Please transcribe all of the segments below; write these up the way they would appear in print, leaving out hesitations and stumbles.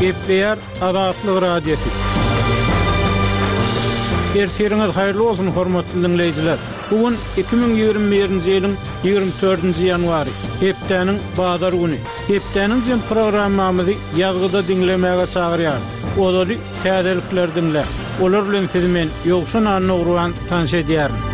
Gepleýär Azatlyk Radiosy. Ertiriňiz haýyrly bolsun, hormatly diňleýjiler! Bu gün 2021-nji ýylyň 24-nji ýanwary, hepdäniň bazar güni. Hepdäniň jem programmamyzy ýazgyda diňlemäge çagyrýarys. Ozaly täzelikleri diňläň. Olar bilen sizi men, Ýowşan Annagurban, tanyş edýärin.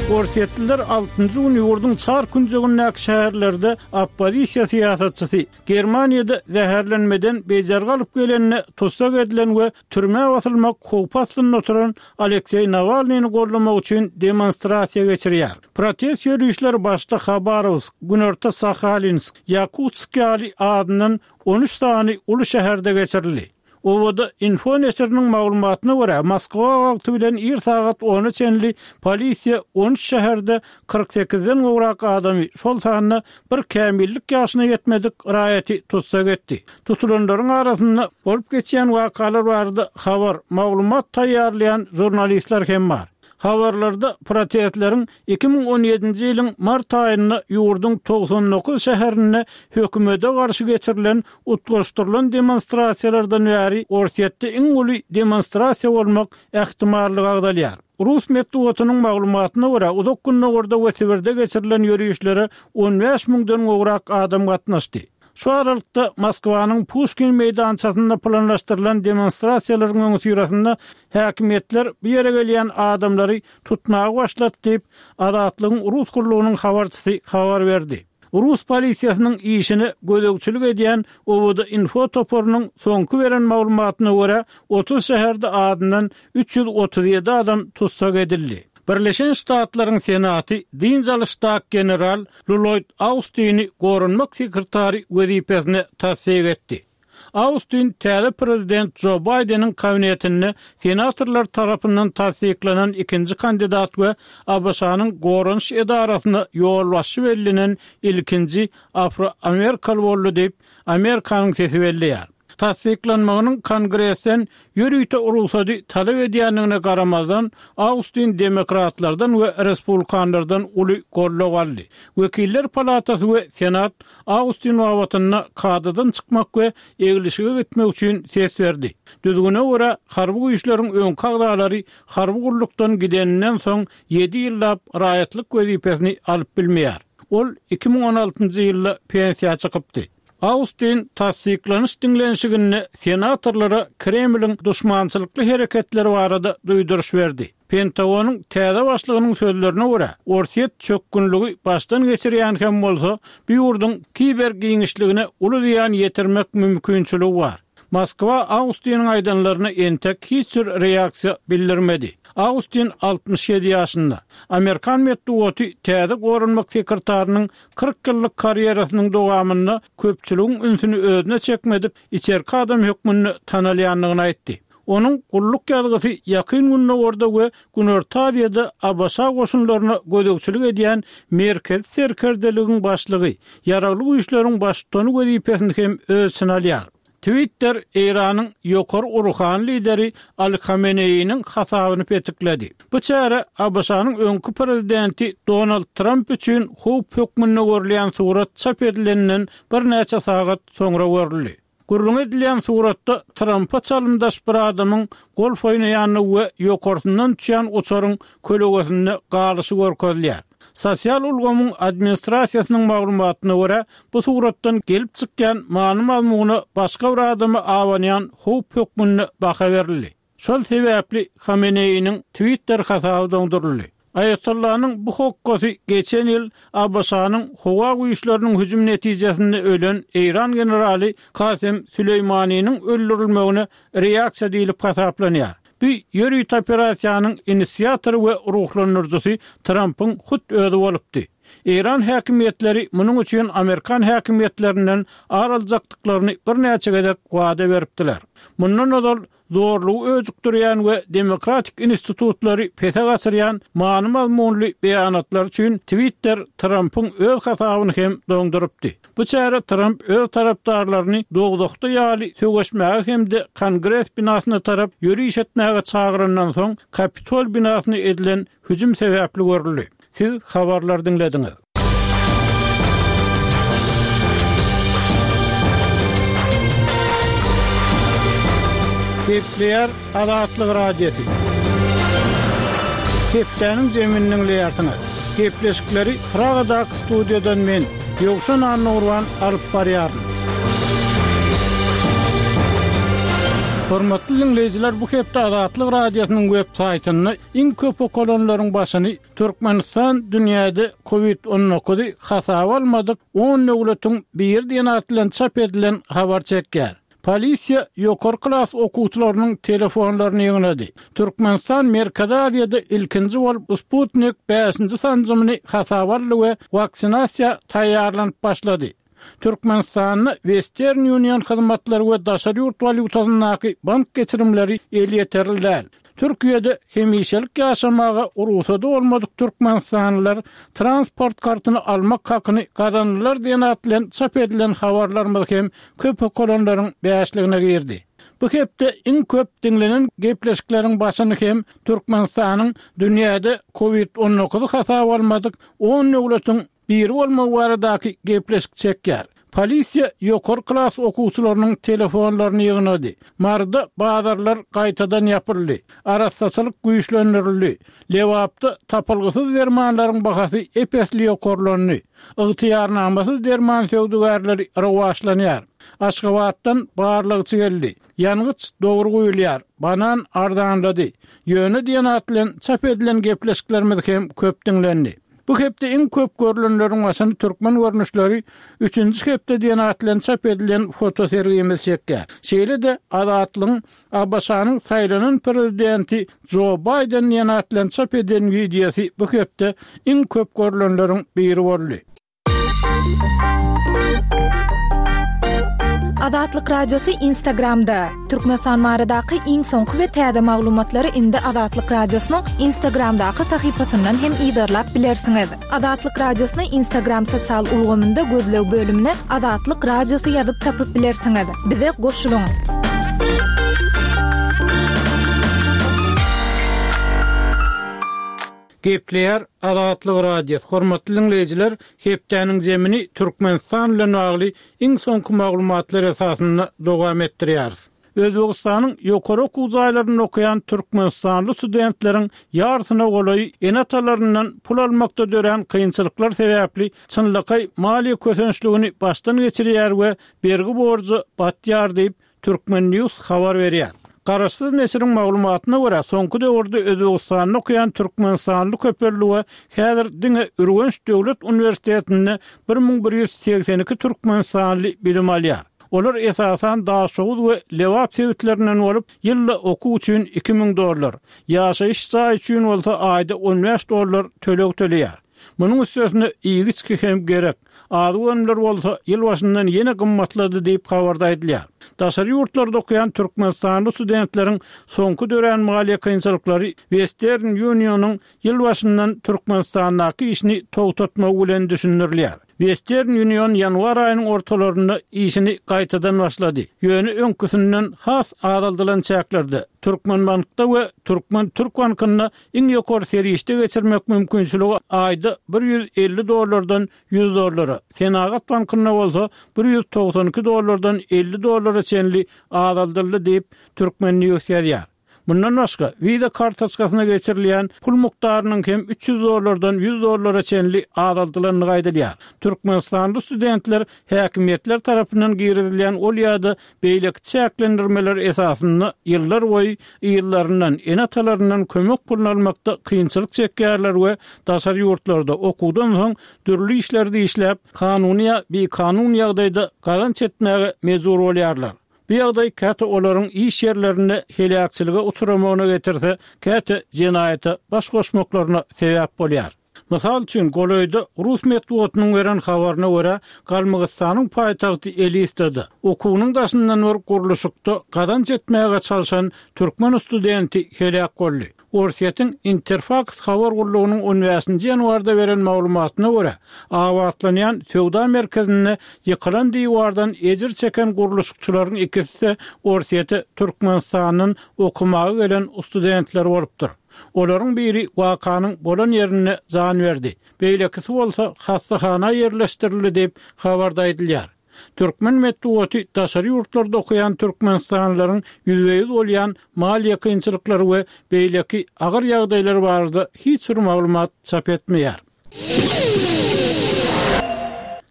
Orsýetliler altynjy gün ýurduň çar künjegindäki şäherlerde oppozisiýa syýasatçysy, Germaniýada zäherlenmeden bejergi alyp gelende tussag edilen we türmä basylmak howpy astynda oturan Alekseý Nawalnyny goldamak üçin demonstrasiýa geçirýär. Protest ýörişleri başda Habarowsk, Günorta Sahalinsk, Ýakutsk ýaly azyndan 13 sany uly şäherde geçirildi. Obada info neşiriniň maglumatyna görä, Moskwa wagty bilen ir sagat ona çenli polisiýa 13 şäherde 48-den gowrak adamy, şol sanda bir kämillik ýaşyna ýetmedik raýaty tussag etdi. Tutulanlaryň arasynda bolup geçýän wakalar barada habar, maglumat taýýarlaýan žurnalistler hem bar. Habarlarda protestleriň 2017-nji ýylyň mart aýynda ýurduň 99 şäherinde hökümete garşy geçirilen utgaşdyrylan demonstrasiýalardan bäri Orsýetde iň uly demonstrasiýa bolmak ähtimallygy agzalýar. Rus metbugatynyň maglumatyna görä, Uzak Gündogarda we Sibirde geçirilen ýörişlere 15 müňden gowrak adam gatnaşdy. Şu aralykda, Moskwanyň Puşkin meýdançasynda planlaşdyrylan demonstrasiýalaryň öňüsyrasynda häkimiýetler bu ýere gelýän adamlary tutmaga başlady diýip, Azatlygyň Rus gullugynyň habarçysy habar berdi. Rus polisiýasynyň işine gözegçilik edýän OWD-Info toparynyň soňky beren maglumatyna görä, 30 şäherde azyndan 337 adam tussag edildi. Birleşen Ştatlaryň Senaty dynç alyşdaky general Lloýd Austini goranmak sekretary wezipesine tassyk etdi. Austin täze prezident Jo Baýdeniň kabinetinde senatorlar tarapyndan tassyklanan ikinji kandidat we ABŞ-nyň goranyş edarasyna ýolbaşçy bellenen ilkinji afroamerikaly boldy diýip, Amerikanyň sesi belleýär. Tassyklanmagynyň Kongresden ýörite rugsady talap edýändigine garamazdan, Austin demokratlardan we respublikanlardan uly goldaw aldy. Wekiller palatasy we Senat Austin babatynda kadadan çykmak we eglişige gitmek üçin ses berdi. Düzgüne görä, harby güýçleriň öňki agzalary harby gullukdan gideninden soň ýedi ýyllap raýatlyk wezipesini alyp bilmeýär. Ol 2016-njy ýylda pensiýa çykypdy. Austin tassyklanyş diňlenişiginde senatorlara Kremliň duşmançylykly hereketleri barada duýduryş berdi. Pentagonyň täze başlygynyň sözlerine görä, Orsýet çökgünligi başdan geçirýän hem bolsa, bu ýurduň kiber giňişligine uly zyýan ýetirmek mümkinçiligi bar. Moskwa Austiniň aýdanlaryna entek hiç bir reaksiýa bildirmedi. Austin 67 ýaşynda. Amerikan metbugaty täze goranmak sekretarynyň 40 ýyllyk karýerasynyň dowamynda köpçüligiň ünsüni özüne çekmedik içerki adam hökmünde tanalýandygyny aýtdy. Onuň gulluk ýazgysy Ýakyn Gündogarda we Günorta Aziýada ABŞ goşunlaryna gözegçilik edýän Merkezi serkerdeligiň başlygy, Ýaragly Güýçleriň baştutany wezipesini hem öz içine alýar. Twitter Eýranyň ýokary ruhany lideri Ali Hameneýiniň hasabyny petikledi. Bu çäre ABŞ-nyň öňki prezidenti Donald Tramp üçin howp hökmünde görülýän surat çap edilenden birnäçe sagat soňra görüldi. Gürrüňi edilýän suratda Trampa çalymdaş bir adamyň golf oýnaýandygy we ýokarsyndan uçýan uçaryň kölegesinde galyşy görkezilýär. Sosial ulgamyň administrasiýasynyň maglumatyna görä, bu suratdan gelip çykýan many-mazmuna başga bir adama abanýan howp hökmünde baha berildi. Şol sebäpli Hameneýiniň Twitter hasaby doňduryldy. Aýatollanyň bu hokgasy geçen ýyl ABŞ-nyň howa güýçleriniň hüjüm netijesinde ölen eýran generaly Kasem Süleýmaniniň öldürilmegine reaksiýa diýlip hasaplanýar. Bu ýörite operasiýanyň inisiatory we ruhlandyryjysy Trampyň hut özi bolupdy. Eýran häkimiýetleri munuň üçin amerikan häkimiýetlerinden ar aljakdyklaryny birnäçe gezek wada beripdiler. Mundan ozal, zorlugy öjükdirýän we demokratik institutlary pese gaçyrýan many-mazmunly beýanatlar üçin Twitter Trampyň öz hasabyny hem doňdurypdy. Bu çäre Tramp öz tarapdarlaryny dowzahda ýaly söweşmäge hem-de Kongres binasyna tarap ýöriş etmäge çagyrandan soň Kapitol binasyna edilen hüjüm sebäpli görüldi. Siz habarlary diňlediňiz. Gepleýär Azatlyk Radiosy. Hepdäniň jemini diňleýärsiňiz. Gepleşikleri Pragadaky studiýadan men, Ýowşan Annagurban alyp barýaryn. Hormatly diňleýjiler, bu hepde Azatlyk Radiosynyň web saýtynda iň köp okalanlaryň başyny Türkmenistan dünýäde Covid 19-y hasaba almadyk on döwletiň biri diýen at bilen çap edilen habar çekýär. Polisiýa ýokary klas okuwçylarynyň telefonlaryny ýygnady. Türkmenistan Merkezi Aziýada ilkinji bolup Sputnik bäşinji sanjymyny hasaba aldy we waksinasiýa taýýarlanyp başlady. Türkmenistanda Western Union hyzmatlary we daşary ýurt walýutasyndaky bank geçirimleri elýeterli däl. Türkiýede hemişelik ýaşamaga rugsady bolmadyk türkmenistanlylar transport kartyny almak hakyny gazandylar diýen at bilen çap edilen habarlarymyz hem köp okalanlaryň bäşligine girdi. Bu hepde iň köp diňlenen gepleşikleriň başyny hem Türkmenistanyň dünýäde Covid 19 hasaba almadyk on döwletiň biri bolmagy baradaky gepleşik çekýär. Polisiýa ýokary klas okuwçylarynyň telefonlaryny ýygnady. Maryda bazarlar gaýtadan ýapyldy. Arassaçylyk güýçlendirildi. Lebapda tapylgysyz dermanlaryň bahasy ep-esli ýokarlandy. Ygtyýarnamasyz derman söwdagärleri rowaçlanýar. Aşgabatdan barlagçy geldi. Ýangyç dogry guýulýar. Banan arzanlady. Ýöne diýen at bilen çap edilen gepleşiklerimiz hem köp diňlendi. Bu hepde iň köp görlenleriň başyny Türkmen görnüşleri üçünji hepde diýen at bilen çap edilen fotosergimiz çekýär. Şeýle-de Azatlygyň ABŞ-nyň saýlanan prezidenti Jo Baýden diýen at bilen çap eden wideosy bu hepde iň köp görlenleriň biri boldy. Azatlyk Radiosy Instagramda, Türkmenistan baradaky iň soňky we täze maglumatlary indi Azatlyk Radiosynyň Instagramdaky sahypasyndan hem yzarlap bilersiňiz. Azatlyk Radiosyny Instagram sosial ulgamynda gözleg bölümine Azatlyk Radiosy ýazyp tapyp bilersiňiz. Bize goşulyň! Gepleýär Azatlyk Radiosy, Hormatly diňleýjiler, hepdäniň zemini Türkmenistan bilen bagly iň soňky maglumatlar esasynda dowam etdirýäris. Özbegistanyň ýokary okuw jaýlarynda okaýan türkmenistanly studentleriň ýarysyna golaýy ene-atalaryndan pul almakda dörän kynçylyklar sebäpli çynlakaý maliýe kösençligini başdan geçirýär we bergi-borja batýar diýip, Turkmen News habar berýär. Garaşsyz neşiriň maglumatyna görä, soňky döwürde Özbegistanda okaýan türkmenistanly köpeldi we häzir diňe Ürgenç döwlet uniwersitetinde 1182 türkmenistanly bilim alýar. Olar esasan Daşoguz we Lebap sebitlerinden bolup, ýylda okuw üçin 2000 dollar, ýaşaýyş jaýy üçin bolsa aýda 15 dollar töleg töleýär. Munuň üstesine iýgi-içgi hem gerek. Azyk önümleri bolsa ýyl başyndan ýene gymmatlady diýip, habarda aýdylýar. Daşary ýurtlarda okaýan türkmenistanly studentleriň soňky dörän maliýe kynçylyklary Western Union-yň ýyl başyndan Türkmenistandaky işini togtatmagy bilen düşündirilýär. Western Union ýanwar aýynyň ortalarynda işini gaýtadan başlady, ýöne öňküsinden has azaldylan çäklerde, Türkmenbankda we Türkmen-Türk bankynda Iň ýokary serişde geçirmek mümkinçiligi aýda 150 dollardan 100 dollara, Senagat bankynda bolsa 192 dollardan 50 dollara çenli azaldyldy diýip, Turkmen. News ýazýar. Mundan başga, Visa kartoçkasyna geçirilýän pul mukdarynyň hem 300 dollardan 100 dollara çenli azaldylandygy aýdylýar. Türkmenistanly studentler häkimiýetler tarapyndan girizilýän ol ýa-da Beýleki çäklendirmeler esasynda ýyllar boýy yzlaryndan, ene-atalaryndan kömek puluny almakda kynçylyk çekýärler we daşary ýurtlarda okuwdan soň dürli işlerde işläp, kanuny ýa bikanun ýagdaýda gazanç etmäge mejbur bolýarlar. Bu ýagdaý käte olaryň iş ýerlerinde heläkçilige uçramagyna getirse, käte jenaýata baş goşmaklaryna sebäp bolýar. Mysal üçin, golaýda rus metbugatynyň beren habaryna görä, Galmygystanyň paýtagty Elistada, okuwynyň daşyndan bir gurluşykda gazanç etmäge çalşan türkmen studenti heläk boldy. Orsýetiň Interfaks habar gullugynyň on bäşinji ýanwarda beren maglumatyna görä, abatlanýan söwda merkezinde ýykylan diwardan ejir çeken gurluşykçylaryň ikisi-de Orsýete Türkmenistandan okamaga gelen studentler bolupdyr. Olaryň biri wakanyň bolan ýerinde jan berdi, beýlekisi bolsa hassahana ýerleşdirildi diýip, habarda aýdylýar. Türkmen metbugaty daşary ýurtlarda okaýan türkmenistanlylaryň ýüzbe-ýüz bolýan maliýe kynçylyklary we beýleki agyr ýagdaýlary barada hiç bir maglumat çap etmeýär.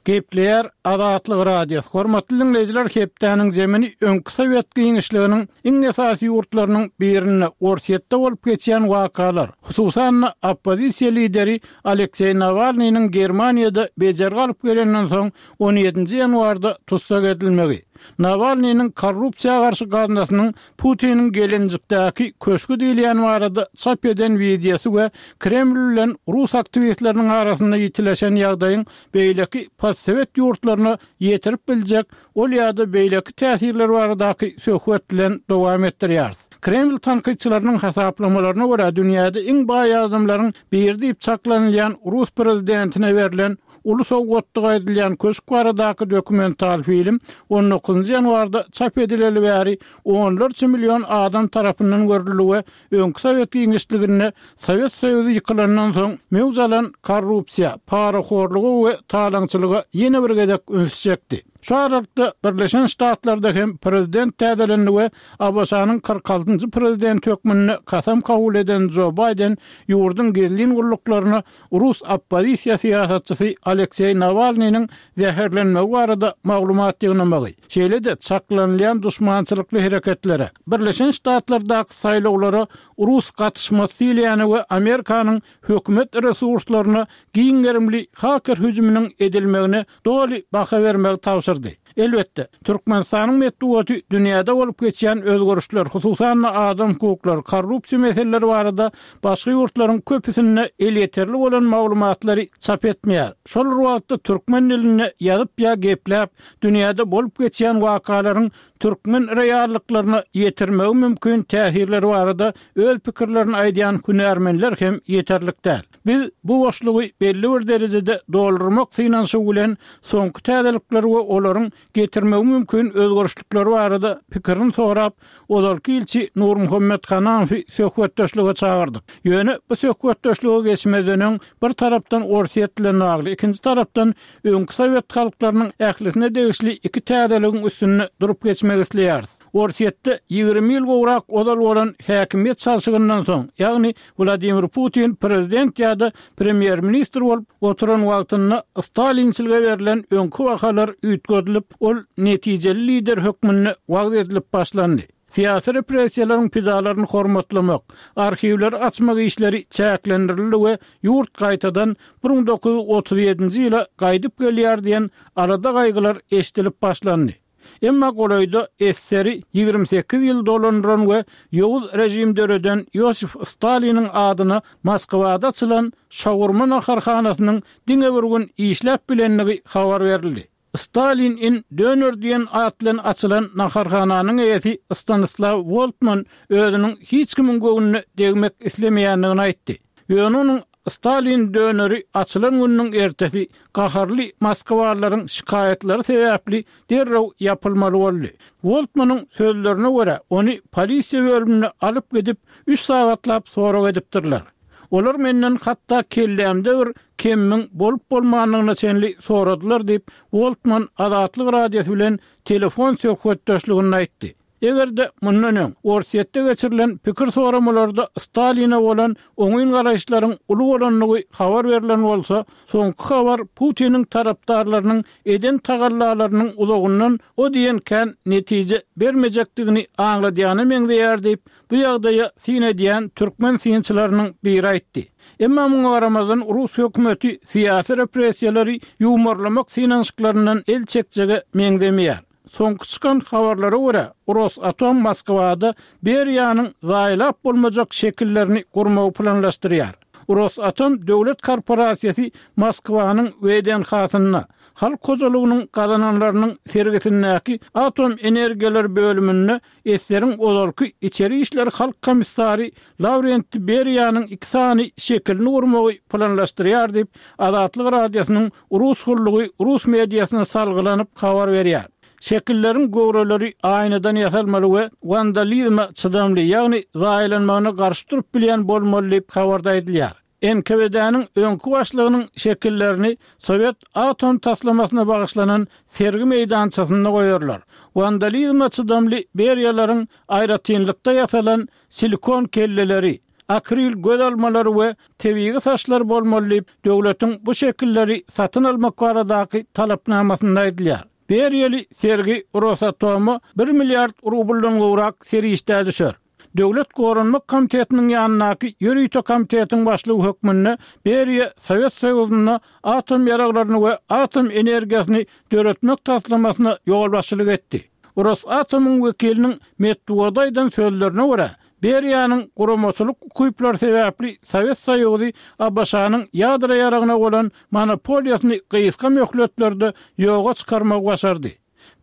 Gepleýär Azatlyk Radiosy. Hormatly diňleýjiler, hepdäniň zemini öňki sowet giňişliginiň iň esasy ýurtlarynyň birinde, Orsýetde bolup geçýän wakalar, hususan-da, oppozisiýa lideri Alekseý Nawalnynyň Germaniýada bejergi alyp gelenden soň on ýedinji ýanwarda tussag edilmegi, Nawalnynyň korrupsiýa garşy gaznasynyň Putiniň Gelenjikdäki köşgi diýilýän barada çap eden wideosy we Kreml bilen rus aktiwistleriniň arasynda ýitileşen ýagdaýyň beýleki postsowet ýurtlaryna ýetirip biljek ol ýa-da beýleki täsirleri baradaky söhbet bilen dowam etdirýäris. Kreml tankytçylarynyň hasaplamalaryna görä, dünýäde iň baý adamlaryň biri diýip çaklanylýan rus prezidentine berlen Uly sowgatdygy aýdylýan köşk baradaky dokumental film on dokuzynjy ýanwarda çap edileli bäri onlarça million adam tarapyndan görüldi we öňki sowet giňişliginde Sowet Soýuzy ýykylandan soň möwç alan korrupsiýa, parahorluga we talaňçylyga ýene bir gezek ünsi çekdi. Şu aralykda Birleşen Ştatlarda hem prezident täzelendi we ABŞ-nyň 46-njy prezidenti hökmünde kasam kabul eden Jo Baýden ýurduň gizlin gulluklaryna Rus oppozisiýa syýasatçysy Alekseý Nawalnynyň zäherlenmegi barada maglumat ýygnamagy, şeýle-de çaklanylýan duşmançylykly hereketlere, Birleşen Ştatlardaky saýlawlara rus gatyşmasy diýilýäne we Amerikanyň hökümet resurslaryna giň gerimli haker hüjüminiň edilmegine doly baha bermegi tabşyrdy. Elbetde, Türkmenistanyň metbugaty dünýäde bolup geçýän özgerişler, hususan-da adam hukuklary, korrupsiýa meseleleri barada başga ýurtlaryň köpüsinde elýeterli bolan maglumatlary çap etmeýär. Şol bir wagtda türkmen dilinde ýazyp ýa gepläp, dünýäde bolup geçýän wakalaryň türkmen reallyklaryna ýetirmegi mümkin täsirleri barada öz pikirlerini aýdýan hünärmenler hem ýeterlik däl. Biz bu boşlugy belli bir derejede doldurmak synanyşygy bilen soňky täzelikler we olaryň getirmegi mümkin özgerişlikleri barada pikirini sorap, ozalky ilçi Nurmuhammet Hanamowy söhbetdeşlige çagyrdyk. Ýöne bu söhbetdeşlige geçmezden öň bir tarapdan Orsýet bilen bagly, ikinji tarapdan öňki sowet halklarynyň ählisine degişli iki täzeligiň üstünde durup geçmek isleýäris. Orsýetde 20 ýyl gowrak ozal bolan häkimiýet çalşygyndan soň, ýagny Wladimir Putin prezident ýa-da premýer-ministr bolup oturan wagtynda stalinçilige berlen öňki bahalar üýtgedilip, ol netijeli lider hökmünde wagyz edilip başlandy. Syýasy repressiýalaryň pidalaryny hormatlamak, arhiwleri açmak işleri çäklendirildi we ýurt gaýtadan 1937-nji ýyla gaýdyp gelýär diýen alada-gaýgylar eşidilip başlandy. Emma golaýda SSR-i 28 ýyl dolandyran we ýowuz režim döreden Ýosif Staliniň adyna Moskwada açylan şawurma naharhanasynyň diňe bir gün işläp bilendigi habar berildi. Stalin in Döner diýen at bilen açylan naharhananyň eýesi Stanislaw Woltman özüniň hiç kimiň göwnüne degmek islemeýändigini aýtdy. Ýöne onuň Stalin döneri açylan gününiň ertesi gaharly moskwalylaryň şikaýatlary sebäpli derrew ýapylmaly boldy. Woltmanyň sözlerine görä, ony polisiýa bölümine alyp gidip, üç sagatlap sorag edipdirler. Olar menden hatda kellämde bir kemiň bolup-bolmandygyna çenli soradylar diýip, Woltman Azatlyk Radiosy bilen telefon söhbetdeşliginde aýtdy. Eger-de mundan öň Orsýetde geçirilen pikir soramalarda Staline bolan oňyn garaýyşlaryň uly bolandygy habar berlen bolsa, soňky habar Putiniň tarapdarlarynyň eden tagallalarynyň uzagyndan o diýen kän netije bermejekdigini aňladýana meňzeýär diýip, bu ýagdaýa syn edýän türkmen synçylarynyň biri aýtdy. Emma muňa garamazdan rus hökümeti syýasy repressiýalary ýuwmarlamak synanyşyklaryndan el çekjege meňzemeýär. Soňky çykan habarlara görä, Rosatom Moskwada Beriýanyň zaýalap bolmajak şekillerini gurmagy planlaşdyrýar. Rosatom döwlet korporasiýasy Moskwanyň WDNH-synda, Halk hojalygynyň gazananlarynyň sergisindäki atom energiýalary bölüminde Eseriň ozalky içeri işler halk komissary Lawrentiý Beriýanyň iki sany şekilini gurmagy planlaşdyrýar diýip, Azatlyk Radiosynyň Rus gullugy rus mediasyna salgylanyp habar berýär. Şekilleriň göwreleri aýnadan ýasalmaly we wandalizme çydamly, ýagny zaýalanmagyna garşy durup bilýän bolmaly diýip, habarda aýdylýar. NKWD-niň öňki başlygynyň şekillerini sowet atom taslamasyna bagyşlanan sergi meýdançasynda goýarlar. Wandalizme çydamly Beriýalaryň aýratynlykda ýasalan silikon kelleleri, akril göz almalary we tebigy saçlary bolmaly diýip, döwletiň bu şekilleri satyn almak baradaky talapnamasynda aýdylýar. Beriýaly sergi Rosatoma bir milliard rubldan gowrak serişdä düşer. Döwlet goranmak komitetiniň ýanyndaky ýörite komitetiň başlygy hökmünde Beriýa Sowet Soýuzynda atom ýaraglaryny we atom energiýasyny döretmek taslamasyna ýolbaşçylyk etdi. Rosatomyň wekiliniň metbugata aýdan sözlerine görä, Beriýanyň guramaçylyk ukyplary sebäpli Sowet Soýuzy ABŞ-nyň ýadro ýaragyna bolan monopoliýasyny gysga möhletlerde ýoga çykarmagy başardy.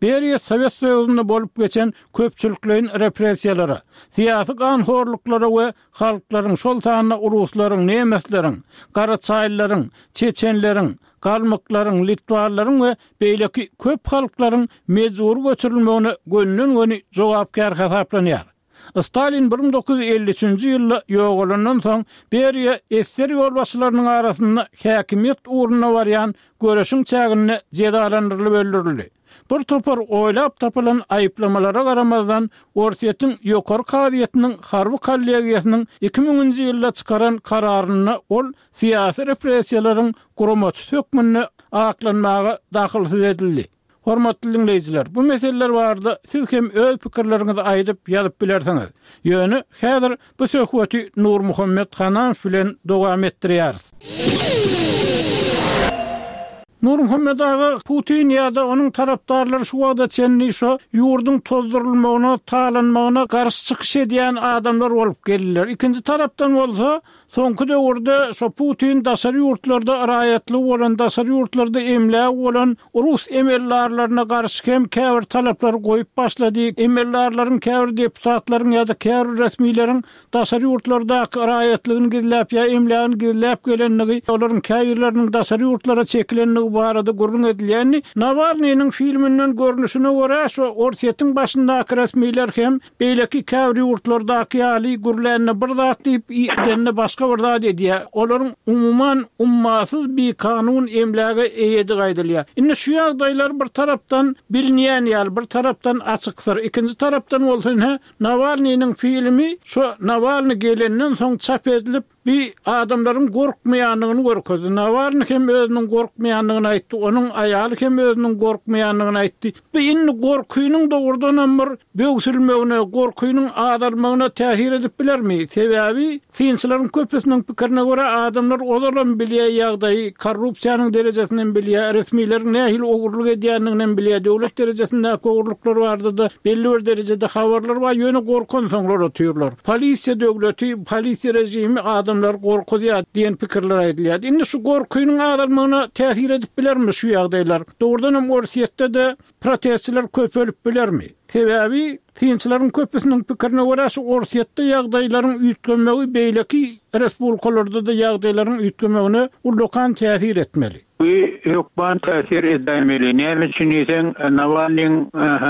Beriýa Sowet Soýuzynda bolup geçen köpçülikleýin repressiýalara, syýasy ganhorluklara we halklaryň, şol sanda ruslaryň, nemesleriň, garaçaýlylaryň, çeçenleriň, galmyklaryň, litwalylaryň we beýleki köp halklaryň mejbury göçürilmegine gönden-göni jogapkär hasaplanýar. Stalin 1953-nji ýylda ýogalandan soň, Beriýa esger ýolbaşçylarynyň arasynda häkimiýet ugrunda barýan göreşiň çäginde jezalandyrylyp öldürildi. Bir topar oýlap tapylan aýyplamalara garamazdan, Orsýetiň Ýokary kazyýetiniň harby kollegiýasynyň 2000-nji ýylda çykaran kararynda ol syýasy repressiýalaryň guramaçysy hökmünde aklanmaga dahylsyz edildi. Hormatly diňleýjiler, bu meseleler barada siz hem öz pikirleriňizi aýdyp, ýazyp bilersiňiz. Ýöne, häzir bu söhbeti Nurmuhammet Hananow bilen dowam etdirýäris. Nurmuhammet aga, Putin ýa-da onuň tarapdarlary şu wagta çenli şo ýurduň tozdurylmagyna, talanmagyna garşy çykyş edýän adamlar bolup geldiler. Ikinji tarapdan bolsa, Soňky döwürde şo Putin daşary ýurtlarda raýatlygy bolan, daşary ýurtlarda emlägi bolan rus emeldarlaryna garşy hem käbir talaplary goýup başlady. Emeldarlaryň käbir deputatlaryň ýa-da käbir resmileriň daşary ýurtlardaky raýatlygyny gizläp ýa emlägini gizläp gelendigi, olaryň käbirleriniň daşary ýurtlara çekilendigi barada gürrüň edilýändi. Nawalnynyň filminden görnüşine görä, şo Orsýetiň başyndaky resmiler hem Beýleki käbir ýurtlardaky ýaly gürlände bir zat diýip, edende başga bir zat edýär. Olaryň umuman ummasyz bikanun emläge eýedigi aýdylýar. Indi şu ýagdaýlar bir tarapdan bilinýän ýaly, bir tarapdan açyk syr. Ikinji tarapdan bolsa ine Nawalnynyň filmi şo Nawalny gelenden soň çap edilip, Bi adamlaryň gorkmaýandygyny görkezdi. Nawalny hem özüniň gorkmaýandygyny aýtdy, onuň aýaly hem özüniň gorkmaýandygyny aýtdy. Bu indi gorkynyň dogrudanam bir böwsülmegine, gorkynyň azalmagyna täsir edip bilermi? Sebäbi, synçylaryň köpüsiniň pikirine görä, adamlar ozalam bilýär ýagdaýy, korrupsiýanyň derejesinem bilýär, resmileriň nähili ogurlyk edýändiginem bilýär, döwlet derejesindäki ogurlyklar barada-da belli bir derejede habarlar bar, ýöne gorkansoňlar otyrlar. Polisiýa döwleti, polisiýa režimi adamlary gorkuzýar diýen pikirler aýdylýar. Indi şu gorkynyň azalmagyna täsir edip bilermi şu ýagdaýlar? Dogrudanam Orsýetde-de protestçiler köpelip bilermi? Sebäbi synçylaryň köpüsiniň pikirine görä şu Orsýetde ýagdaýlaryň üýtgemegi beýleki respublikalarda-da ýagdaýlaryň üýtgemegine ullakan täsir etmeli. Bu hökman täsir edäýmeli. Näme üçin diýseň, Nawalnyň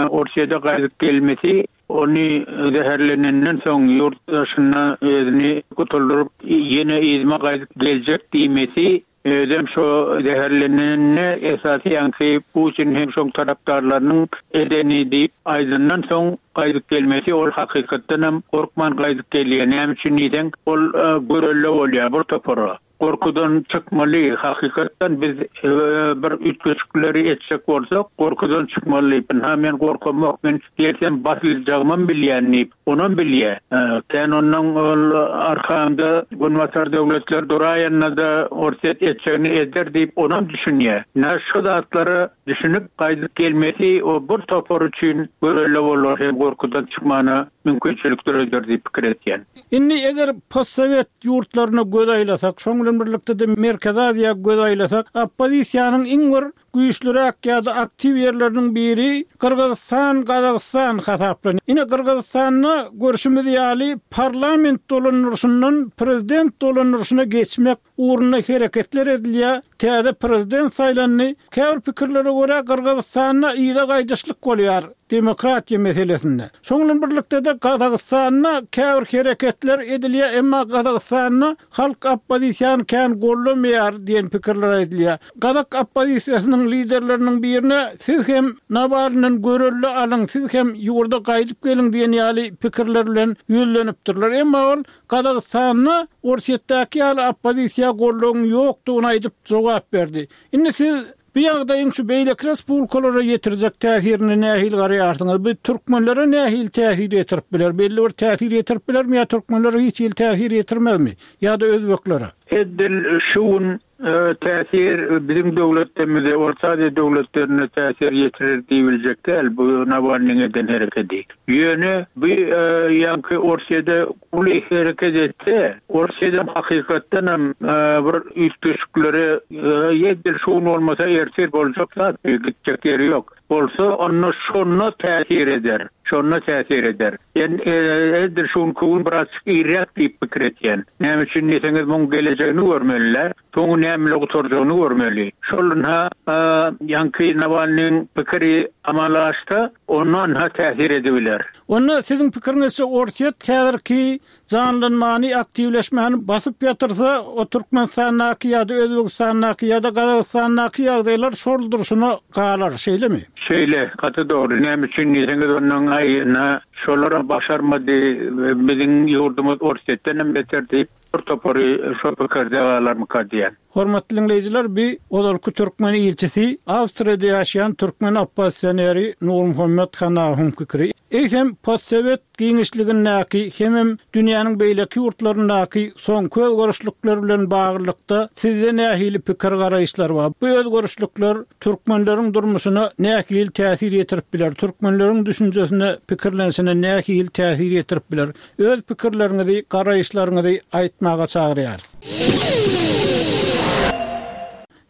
Orsýete gaýdyp gelmesi Ony zäherlenenden soň ýurt daşynda özüni gutuldyryp, ýene yzyma gaýdyp geljek diýmesi, özem şo zäherlenenine esasy ýaňky Putin hem şoň tarapdarlarynyň edeni diýip aýdandan soň gaýdyp gelmesi ol hakykatdanam gorkman gaýdyp gelýär. Näme üçin diýseň, ol görelde bolýar bir topara. Gorkudan çykmaly, hakykatdan biz bir üýtgeşikleri etjek bolsak, gorkudan çykmaly. Ynha men gorkamok, men gelsem basyljagymam bilýän diýip, onam bilýär. Kän ondan ol arkamda günbatar döwletler duraýanda-da Orsýet etjegini eder diýip, onam düşünýär. Ynha şu zatlara düşünip gaýdyp gelmesi o bir topar üçin görelde bolar hem gorkudan çykmana mümkinçilik döreder diýip pikir edýän. Indi eger postsowet ýurtlaryna göz aýlasak, şoň bilen birlikde-de Merkezi Aziýa göz aýlasak, oppozisiýanyň iň bir güýçlüräk ýa-da aktiw ýerleriniň biri Gyrgyzystan, Gazagystan hasaplanýar. Ine, Gyrgyzystanda görşümiz ýaly parlament dolandyryşyndan prezident dolandyryşyna geçmek ugrunda hereketler edilýär. täze prezident saýlandy. Käbir pikirlere görä, Gyrgyzystanda yza gaýdyşlyk bolýar demokratiýa meselesinde. Şoň bilen birlikde-de Gazagystanda käbir hereketler edilýär, emma Gazagystanda halk oppozisiýany kän goldamaýar diýen pikirler aýdylýar. Gazak oppozisiýasynyň liderleriniň birine siz hem Nawalnydan görelde alyň, siz hem ýurda gaýdyp geliň diýen ýaly pikirler bilen ýüzlenipdirler. Emma ol Gazagystanda Orsýetdäki ýaly oppozisiýa goldawyň ýokdugyny aýdyp jogap berdi. Indi siz bu ýagdaýyň şu beýleki respublikalara ýetirjek täsirine nähili garaýarsyňyz? Bu türkmenlere nähili täsir ýetirip biler? Belli bir täsir ýetirip bilermi ýa türkmenlere hiç hili täsir ýetirmezmi? Ýa-da özbeklere? Edil şu gün Täsir biziň döwletlerimize, Orta Aziýa döwletlerine täsir ýetirer diýibiljek däl bu Nawalnyň eden herekedi. Ýöne bu ýaňky Orsýede uly hereket etse, Orsýedem hakykatdanam bir üýtgeşiklere edil şu gün bolmasa ertir boljak zat bu, gitjek ýeri ýok. Bolsa onda şonda täsir eder. Şonda täsir eder. Men edil şu günki gün birazjyk irräk diýip pikir etýän. Näme üçin diýseňiz muň gelejegini görmeli-dä. Soňy näme bilen gutarjagyny görmeli. Şol ynha ýaňky Nawalnyň pikiri amala aşsa, onda ynha täsir edibiler. Onda siziň pikiriňizçe Orsýet häzirki janlanmany, aktiwleşmäni basyp ýatyrsa, o Türkmenistandaky ýa-da Özbegistandaky ýa-da Gazagystandaky ýagdaýlar şol durşuna galar, şeýlemi? Şeýle, gaty dogry. Näme üçin diýseňiz, ondan aý, ynha, şolaram başarmady, biziň ýurdumyz Orsýetdenem beter diýip, bir topary şo pikirde galarmyka diýýän. Hormatly diňleýjiler, bi ozalky türkmen ilçisi, Awstriýada ýaşaýan türkmen oppozisioneri Nurmuhammet Hanawyň pikiri. Eýsem, postsowet giňişligindäki hemem dünýäniň beýleki ýurtlaryndaky soňky özgerişlikler bilen baglylykda sizde nähili pikir-garaýyşlar bar? Bu özgerişlikler türkmenleriň durmuşyna nähili täsir ýetirip biler? Türkmenleriň düşünjesine, pikirlenişine nähili täsir ýetirip biler? Öz pikirleriňizi, garaýyşlaryňyzy aýtmaga çagyrýarys.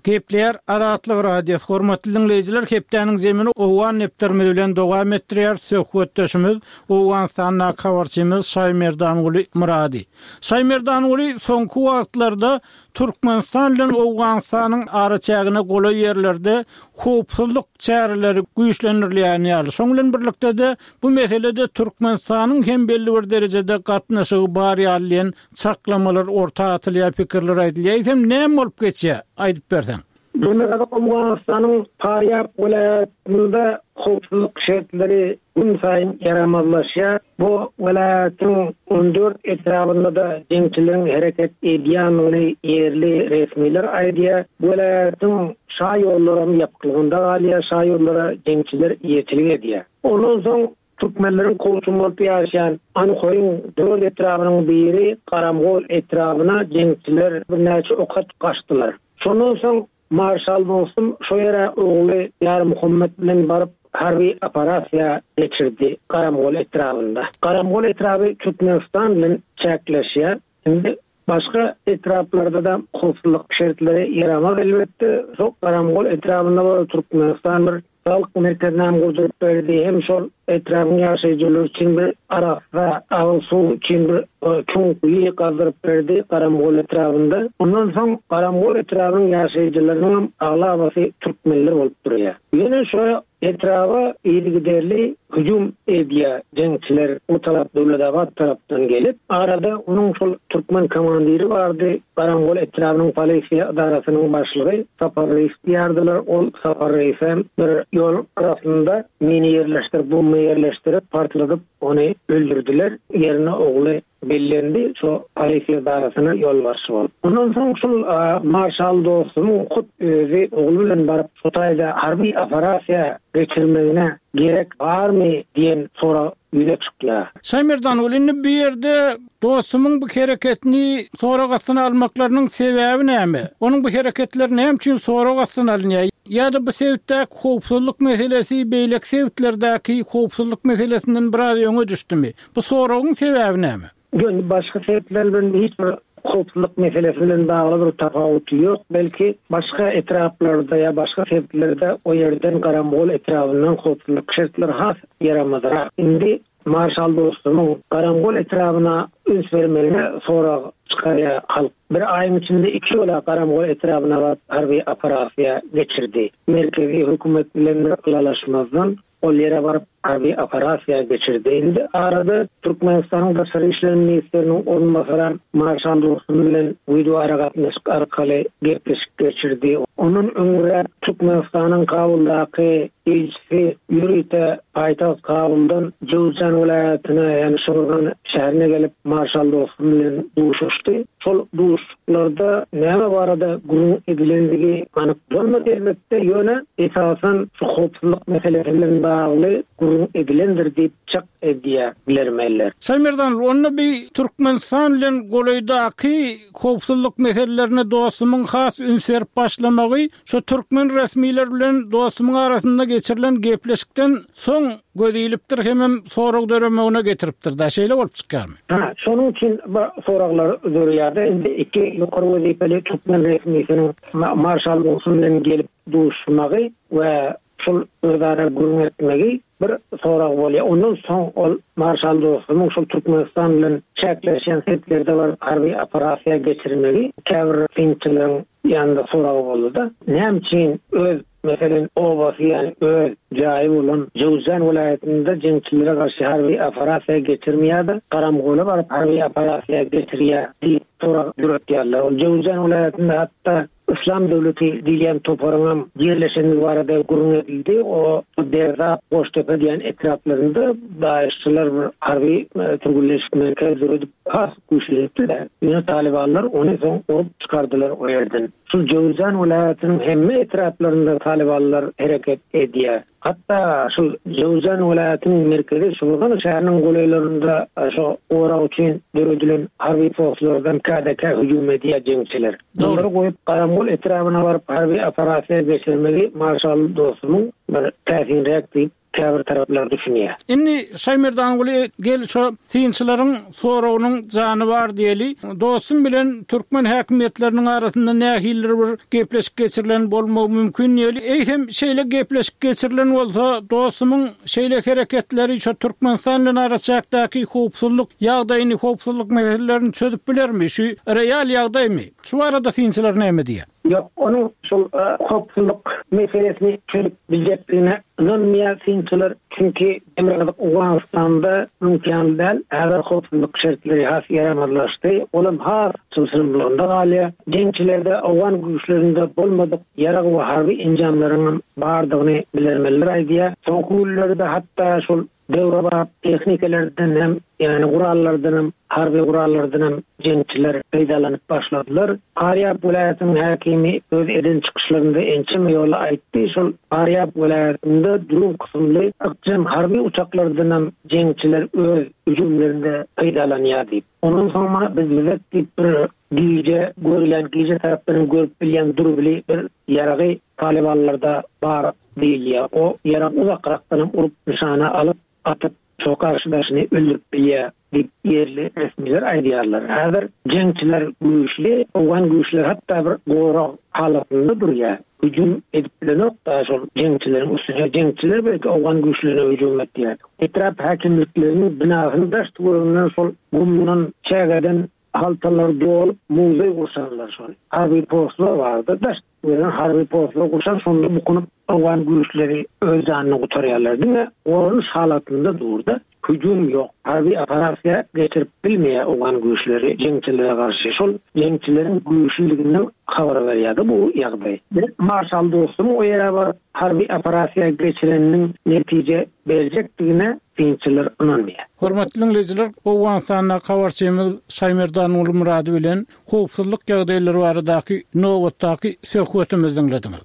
Gepleýär Azatlyk Radiosy, Hormatly diňleýjiler, hepdäniň zemini Owgan depderimiz bilen dowam etdirýär. Söhbetdeşimiz Owganystandaky habarçymyz Şaýmerdanguly Myrady. Şaýmerdanguly, soňky wagtlarda Türkmenistan bilen Owganystanyň araçägine golaý ýerlerde howpsuzlyk çäreleri güýçlendirilýän ýaly. Şoň bilen birlikde-de bu meselede Türkmenistanyň hem belli bir derejede gatnaşygy bar ýaly diýen çaklamalar orta atylýar, pikirler aýdylýar. Eýsem näme bolup geçýär? Aýdyp berseň. Demirgazyk Owganystanyň Farýab welaýatynda howpsuzlyk şertleri günsaýyn ýaramazlaşýar. Bu welaýatyň 14 etrabynda-da jeňçileriň hereket edýändigini ýerli resmiler aýdýar. Welaýatyň şa ýollaram ýapyklygynda galýar, şa ýollara jeňçiler eýeçilik edýär. Ondan soň Türkmenleriň kowçum bolup ýaşaýan Anhoýyň dört etrabynyň biri Garamgol etrabyna jeňçiler birnäçe ok atyp gaçdylar. Şondan soň marşal Dostum şo ýere ogly Ýarmuhammet bilen baryp harby operasiýa geçirdi Garamgol etrabynda. Garamgol etraby Türkmenistan bilen çäkleşýär. Indi başga etraplarda-da howpsuzlyk şertleri ýaramaz elbetde. Şo Garamgol etrabynda bolsa Türkmenistan bir saglyk merkezinem gurduryp berdi, hem şol etrabyň ýaşaýjylary üçin bir arassa agyz suw üçin bir çuň guýy gazdyryp berdi Garamgol etrabynda. Ondan soň Garamgol etrabynyň ýaşaýjylarynyňam aglabasy türkmenler bolup durýar. Ýöne şo Etraba yzygiderli hüjüm edýär jeňçiler bu tarap Döwletabat tarapdan gelip, arada onuň şol türkmen komandiri bardy, Garangol etrabynyň polisiýa edarasynyň başlygy Sapar Reýis diýýärdiler, ol Sapar Reýisem bir ýol gyrasynda mini ýerleşdirip, bomba ýerleşdirip, partladyp ony öldürdiler, ýerine ogly Bellendi şo polisiýa edarasyna ýolbaşçy bolup. Ondan soň şul marşal dostumyň hut özi ogly bilen baryp şo taýda harby operasiýa geçirmegine gerek barmy diýen sorag ýüze çykýar. Şaýmerdan indi bu ýerde dostumyň bu hereketini sorag astyna almaklarynyň sebäbi näme? Onuň bu hereketleri näme üçin sorag astyna alynýar? Ýa-da bu sebitdäki howpsuzlyk meselesi beýleki sebitlerdäki howpsuzlyk meselesinden biraz öňe düşdümi? Bu soragyň sebäbi näme? Ýöne başga sebitler bilen hiç bir howpsuzlyk meselesi bilen bagly bir tapawuty ýok. Belki, başga etraplarda ýa başga sebitlerde o ýerden Garamgol etrabyndan howpsuzlyk şertleri has ýaramazrak. Indi marşal dostumyň Garamgol etrabyna üns bermegine sorag. çykarýar halk. Bir aýyň içinde iki ýola Garamgol etrabyna baryp harby operasiýa geçirdi. Merkezi hökümet bilen bir ylalaşmazdan ol ýere baryp harby operasiýa geçirdi. Indi arada Türkmenistanyň Daşary işler ministriniň orunbasaram Marşal Dostum bilen wideoaragatnaşyk arkaly gepleşik geçirdi. Ondan öňräk Türkmenistanyň Kabuldaky ilçisi ýörite paýtagt Kabuldan Jöwüzjan welaýatyna, ýagny Şorgan şäherine gelip, Marşal Dostum bilen duşuşdy. Şol duşuşyklarda näme barada gürrüň edilendigi anyk bolmady elbetde, ýöne esasan şu howpsuzlyk meselesi bilen bagly gürrüň edilendir diýip çak edýär bilermenler. Şaýmerdan, onda bi Türkmenistan bilen golaýdaky howpsuzlyk meselelerine Dostumyň has üns berip başlamagy Şu türkmen resmiler bilen dostumyň arasynda geçirilen gepleşikden soň göz ilipdir hemem sorag döremegine getiripdir-dä, şeýle bolup çykýarmy? Hä, şonuň üçin bu soraglar döreýär-de, indi iki ýokary wezipeli türkmen resmisiniň marşal Dostum bilen gelip duşmagy we şol özara gürrüň etmegi bir sorag bolýar. Ondan soň ol marşal Dostumyň şol Türkmenistan bilen çäkleşýän sebitlerde baryp harby operasiýa geçirmegi käbir synçylaryň ýanynda sorag boldy-da. Näme üçin öz, meselem, obasy, ýagny öz jaýy bolan Jöwüzjan welaýatynda jeňçilere garşy harby operasiýa geçirmeýär-de, Garamgola baryp harby operasiýa geçirýär diýip sorag döretýärler. Ol Jöwüzjan welaýatynda hatda Yslam döwleti diýilýän toparyňam ýerleşendigi barada gürrüň edildi. O Derzap, Goştepe diýen etraplarynda daeşçiler bir harby türgenleşik merkez döredip has güýçlenipdiler. Ýöne talybanlar ony soň urup çykardylar o ýerden. Şul Jöwüzjan welaýatynyň hemme etraplarynda talybanlar hereket edýär. Hatda şul Jöwüzjan welaýatynyň merkezi Şuburgan şäheriniň golaýlarynda şo gorag üçin döredilen harby postlardan käde-kä hüjüm edýär jeňçiler. Bulary goýup Garamgol etrabyna baryp harby operasiýa geçirmegi marşal Dostumyň bir täsinräk diýip käbir taraplar düşünýär. Indi Şaýmerdanguly gel şo synçylaryň soragynyň jany bar diýeli. Dostum bilen türkmen häkimiýetleriniň arasynda nähilidir bir gepleşik geçirilen bolmagy mümkin diýeli. Eýsem şeýle gepleşik geçirilen bolsa dostumyň şeýle hereketleri şo Türkmenistan bilen araçäkdäki howpsuzlyk ýagdaýyny, howpsuzlyk meselelerini çözüp bilermi? Şu real ýagdaýmy? Şu barada synçylar näme diýýär? Ýok, onuň şol howpsuzlyk meselesini çözüp biljekdigine ynanmaýar synçylar. Çünki Demirgazyk Owganystanda öňki ýaly däl, häzir howpsuzlyk şertleri has ýaramazlaşdy, olam has çylşyrymlygynda galýar. Jeňçilerde owgan güýçlerinde bolmadyk ýarag we harby enjamlaryňam bardygyny bilermenler aýdýar. Soňky günlerde hatda şol Döwrebap tehnikalardan hem, ýagny gurallardan hem, harby gurallardan hem jeňçiler peýdalanyp başladylar. Farýab welaýatynyň häkimi öz eden çykyşlarynda ençeme ýola aýtdy, şol Farýab welaýatynda dron kysymly ykjam harby uçaklardan hem jeňçiler öz hüjümlerinde peýdalanýar diýip. Ondan soň mana biz bizek diýip bir gije görülýän, gije tarapdan hem görüp bilýän durbili bir ýaragy talybanlarda bar diýilýär. O ýarag uzakrakdanam urup nyşana alyp, atyp, şo garşydaşyny öldürip bilýär diýip ýerli resmiler aýdýarlar. Häzir jeňçiler güýçli, owgan güýçleri hatda bir gorag halatynda durýar. Hüjüm edip bilenok-da şol jeňçileriň üstüne. Jeňçiler belki owgan güýçlerine hüjüm etýär. Etrap häkimlikleriniň binasynyň daş-töwereginden şol gumdan, çägeden haltalary dolup muzeý gurşanlar şol. Harby postlar bardy. Daş Ýöne harby postlar gurşan şonda bukunyp owgan güýçleri öz janyny gutarýarlar. Diňe goranyş halatynda durda hüjüm ýok. Harby operasiýa geçirip bilmeýär owgan güýçleri jeňçilere garşy. Şol jeňçileriň güýçlüliginden habar berýärdi bu ýagdaý. Marşal Dostumyň o ýere baryp harby operasiýa geçireniniň netije berjekdigine synçylar ynanmaýar. Hormatly diňleýjiler, Owganystandaky habarçymyz Şaýmerdan Gulmyrady bilen howpsuzlyk ýagdaýlary baradaky nobatdaky söhbetimizi diňlediňiz.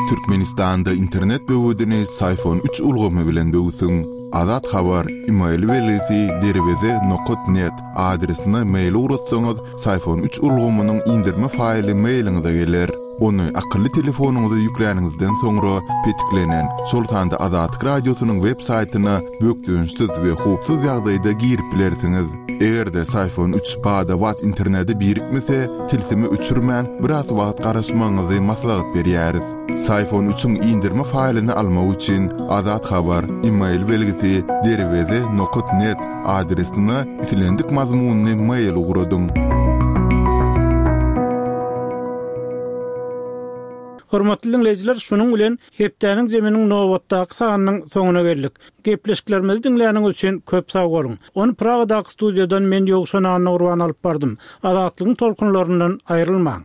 Türkmenistanda internet böwedini Syfon üç ulgamy bilen böwsüň. Azat Habar, email belgisi derweze nokat net adresine mail ugratsaňyz, Syfon üç ulgamynyň indirme faýly mailiňize geler. Ony akylly telefonyňyza ýükläniňizden soňra petiklenen, şol sanda Azatlyk Radiosynyň web saýtyna bökdençsiz we howpsuz ýagdaýda girip bilersiňiz. Eger-de Syfon üç bada-bat internete birikmese, tilsimi öçürmän, biraz wagt garaşmagyňyzy maslahat berýäris. Syfon üçiň indirme faýlyny almak üçin Azat Habar, email belgisi, derweze nokat net adresine islendik mazmunly mail ugradyň. Hormatly diňleýjiler, şunuň bilen hepdäniň zeminiň nobatdaky sanynyň soňuna geldik. Gepleşiklerimizi diňläniňiz üçin köp sag boluň. Ony Pragadaky studiýadan men Ýowşan Annagurban alyp bardym. Azatlygyň tolkunlaryndan aýrylmaň.